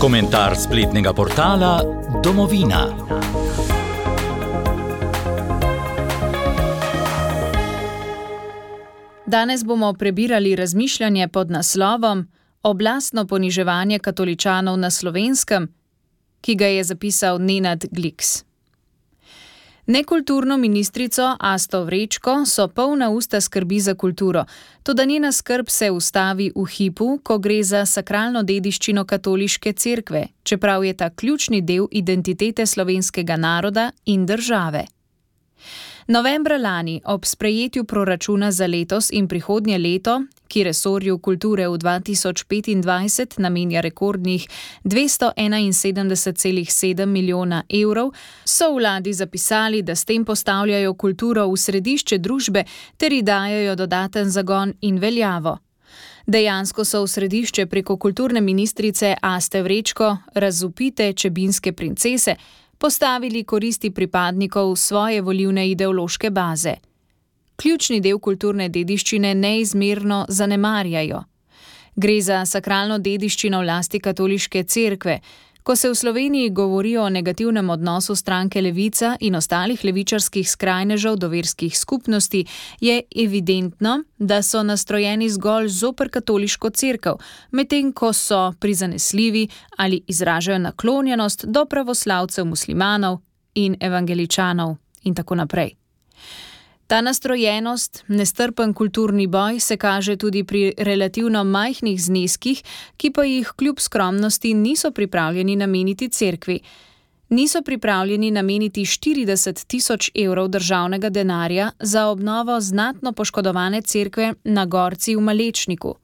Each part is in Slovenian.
Komentar spletnega portala Domovina. Danes bomo prebirali razmišljanje pod naslovom Oblastno poniževanje katoličanov na Slovenskem, ki ga je zapisal Nenad Gliks. Nekulturno ministrico Asto Vrečko so polna usta skrbi za kulturo, toda njena skrb se ustavi v hipu, ko gre za sakralno dediščino katoliške cerkve, čeprav je ta ključni del identitete slovenskega naroda in države. Novembra lani, ob sprejetju proračuna za letos in prihodnje leto, ki resorju kulture v 2025 namenja rekordnih 271,7 milijona evrov, so vladi zapisali, da s tem postavljajo kulturo v središče družbe ter ji dajejo dodaten zagon in veljavo. Dejansko so v središče preko kulturne ministrice Aste Vrečko, razvpite čebinske princese, postavili koristi pripadnikov svoje volilne ideološke baze. Ključni del kulturne dediščine neizmerno zanemarjajo. Gre za sakralno dediščino v lasti katoliške cerkve. Ko se v Sloveniji govori o negativnem odnosu stranke Levica in ostalih levičarskih skrajnežev do verskih skupnosti, je evidentno, da so nastrojeni zgolj zoper katoliško cerkev, medtem ko so prizanesljivi ali izražajo naklonjenost do pravoslavcev, muslimanov in evangeličanov in tako naprej. Ta nastrojenost, nestrpen kulturni boj se kaže tudi pri relativno majhnih zneskih, ki pa jih kljub skromnosti niso pripravljeni nameniti cerkvi. Niso pripravljeni nameniti 40 tisoč evrov državnega denarja za obnovo znatno poškodovane cerkve na Gorci v Malečniku.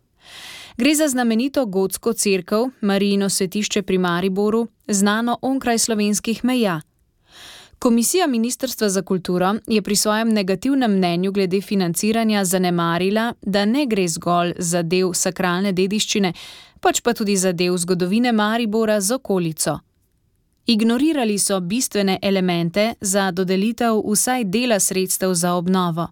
Gre za znamenito gotsko cerkev, Marijino svetišče pri Mariboru, znano onkraj slovenskih meja. Komisija Ministrstva za kulturo je pri svojem negativnem mnenju glede financiranja zanemarila, da ne gre zgolj za del sakralne dediščine, pač pa tudi za del zgodovine Maribora z okolico. Ignorirali so bistvene elemente za dodelitev vsaj dela sredstev za obnovo.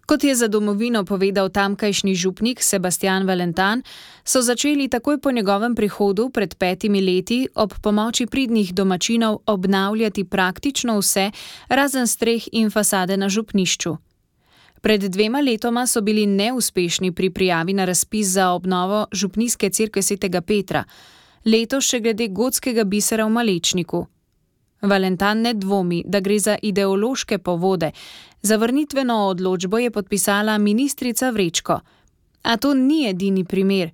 Kot je za Domovino povedal tamkajšnji župnik Sebastian Valentan, so začeli takoj po njegovem prihodu pred 5 leti ob pomoči pridnih domačinov obnavljati praktično vse, razen streh in fasade na župnišču. Pred 2 letoma so bili neuspešni pri prijavi na razpis za obnovo župnijske cerkve svetega Petra, letos še glede gotskega bisera v Malečniku. Valentan ne dvomi, da gre za ideološke povode. Zavrnitveno odločbo je podpisala ministrica Vrečko. A to ni edini primer.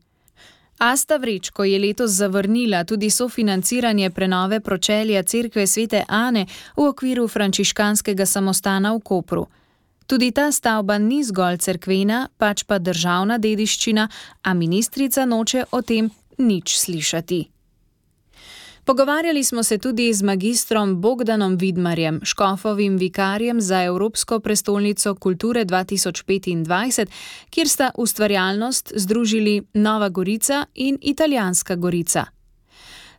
Asta Vrečko je letos zavrnila tudi sofinanciranje prenove pročelja cerkve svete Ane v okviru frančiškanskega samostana v Kopru. Tudi ta stavba ni zgolj cerkvena, pač pa državna dediščina, a ministrica noče o tem nič slišati. Pogovarjali smo se tudi z magistrom Bogdanom Vidmarjem, škofovim vikarjem za Evropsko prestolnico kulture 2025, kjer sta ustvarjalnost združili Nova Gorica in Italijanska Gorica.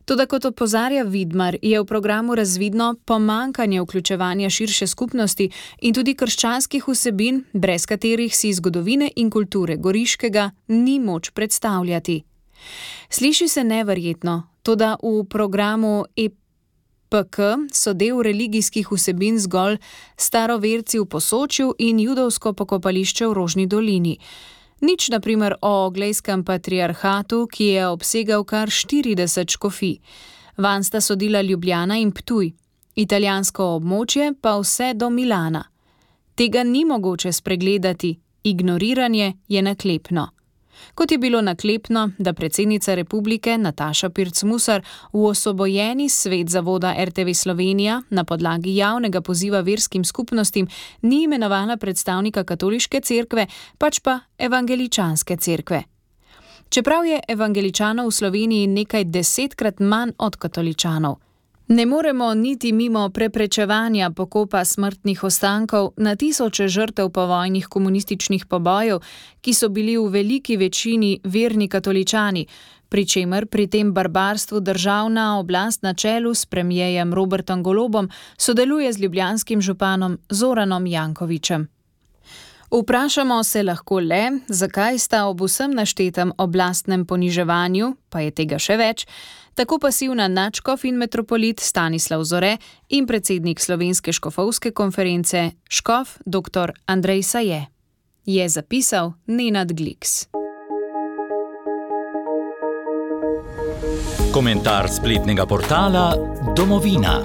Toda kot opozarja Vidmar, je v programu razvidno pomanjkanje vključevanja širše skupnosti in tudi krščanskih vsebin, brez katerih si zgodovine in kulture Goriškega ni moč predstavljati. Sliši se neverjetno, toda v programu EPK so del religijskih vsebin zgolj staroverci v Posočju in judovsko pokopališče v Rožni dolini. Nič na primer o oglejskem patriarhatu, ki je obsegal kar 40 škofij. Vanj sta sodila Ljubljana in Ptuj, italijansko območje pa vse do Milana. Tega ni mogoče spregledati, ignoriranje je naklepno. Kot je bilo naklepno, da predsednica republike Nataša Pirc Musar v osvobojeni svet zavoda RTV Slovenija na podlagi javnega poziva verskim skupnostim ni imenovala predstavnika katoliške cerkve, pač pa evangeličanske cerkve. Čeprav je evangeličanov v Sloveniji nekaj 10-krat manj od katoličanov, ne moremo niti mimo preprečevanja pokopa smrtnih ostankov na tisoče žrtev povojnih komunističnih pobojev, ki so bili v veliki večini verni katoličani, pri čemer pri tem barbarstvu državna oblast na čelu s premierjem Robertom Golobom sodeluje z ljubljanskim županom Zoranom Jankovićem. Vprašamo se lahko le, zakaj sta ob vsem naštetem oblastnem poniževanju, pa je tega še več, tako pasivna nadškof in metropolit Stanislav Zore in predsednik Slovenske škofovske konference škof dr. Andrej Saje. Je zapisal Nenad Gliks. Komentar spletnega portala Domovina.